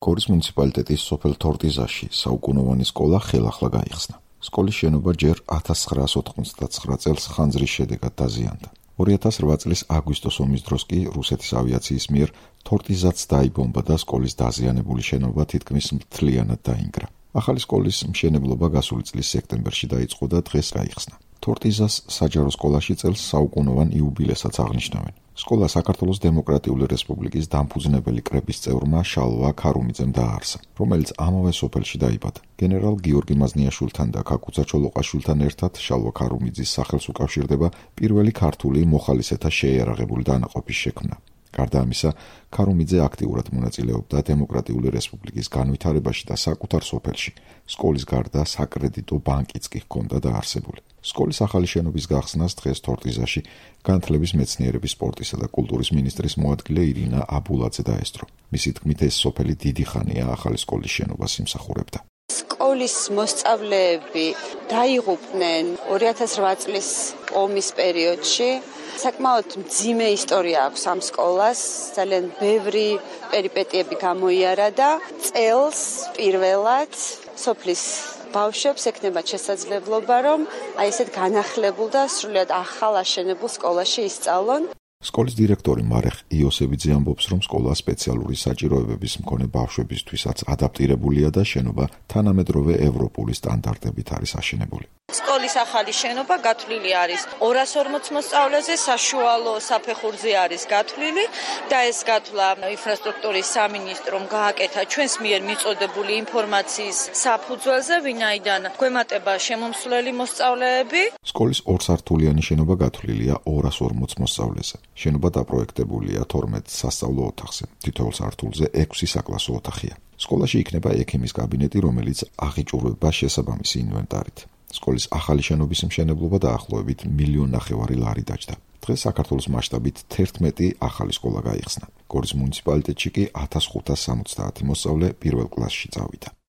გორის მუნიციპალიტეტის სოფელ თორტიზაში საუკუნოვანი სკოლა ხელახლა გაიხსნა. სკოლის შენობა ჯერ 1999 წელს ხანძრის შედეგად დაზიანდა. 2008 წლის აგვისტოს ომის დროს კი რუსეთის ავიაციის მიერ თორტიზაც დაიბომბა და სკოლის დაზიანებული შენობა თითქმის მთლიანად დაინგრა. ახალი სკოლის მშენებლობა გასული წლის სექტემბერში დაიწყო და დღეს გაიხსნა. თორტიზას საჯარო სკოლაში წელს საუკუნოვან იუბილესაც აღნიშნავენ. სკოლა საქართველოს დემოკრატიული რესპუბლიკის დამფუძნებელი კრების წევრმა შალვა ქარუმიძემ დააარსა, რომელიც ამავე სოფელში დაიბადა. გენერალ გიორგი მაზნიაშვილთან და ქაკუცა ჩოლოყაშვილთან ერთად შალვა ქარუმიძის სახელს უკავშირდება პირველი ქართული მოხალისეთა შეიარაღებული დანაყოფის შექმნა. გარდა ამისა, ქარუმიძე აქტიურად მონაწილეობდა დემოკრატიული რესპუბლიკის განვითარებაში და საკუთარ სოფელში. სკოლის გარდა საკრედიტო ბანკიც კი ჰქონდა დაარსებული. სკოლის ახალი შენობის გახსნას დღეს თორტიზაში განათლების მეცნიერების სპორტისა და კულტურის მინისტრის მოადგილე ირინა აბულაძე დაესწრო. მისი თქმით, ეს სოფელი დიდი ხანია ახალი სკოლის შენობას იმსახურებდა. სკოლის მოსწავლეები დაიღუპნენ 2008 წლის ომის პერიოდში. საკმაოდ მძიმე ისტორია აქვს ამ სკოლას, ძალიან ბევრი პერიპეტიები გამოიარა და წელს პირველად სოფლის ბავშვებს ექნებათ შესაძლებლობა, რომ აი ესეთ განახლებულ და სრულიად ახალ აშენებულ სკოლაში ისწავლონ. სკოლის დირექტორი მარეხ იოსებიძე ამბობს, რომ სკოლა სპეციალური საჭიროებების მქონე ბავშვებისთვისაც ადაპტირებულია და შენობა თანამედროვე ევროპული სტანდარტებით არის აშენებული. სკოლის ახალი შენობა გათვლილი არის 240 მოსწავლეზე, საშუალო საფეხურზე არის გათვლილი და ეს გათვლა ინფრასტრუქტურის სამინისტრომ გააკეთა ჩვენს მიერ მიწოდებული ინფორმაციის საფუძველზე, ვინაიდან გვემატება შემომსვლელი მოსწავლეები. სკოლის ორსართულიანი შენობა გათვლილია 240 მოსწავლეზე. შენობა დაპროექტებულია 12 სასწავლო ოთახზე. თითოეულ სართულზე 6 საკლასო ოთახია. სკოლაში იქნება ექიმის კაბინეტი, რომელიც აღიჭურვება შესაბამისი ინვენტარით. სკოლის ახალი შენობის მშენებლობა დაახლოებით 1,5 მილიონი ლარი დაჯდა. დღეს საქართველოს მასშტაბით 11 ახალი სკოლა გაიხსნა. გორის მუნიციპალიტეტში კი 1570 მოსწავლე პირველ კლასში წავიდა.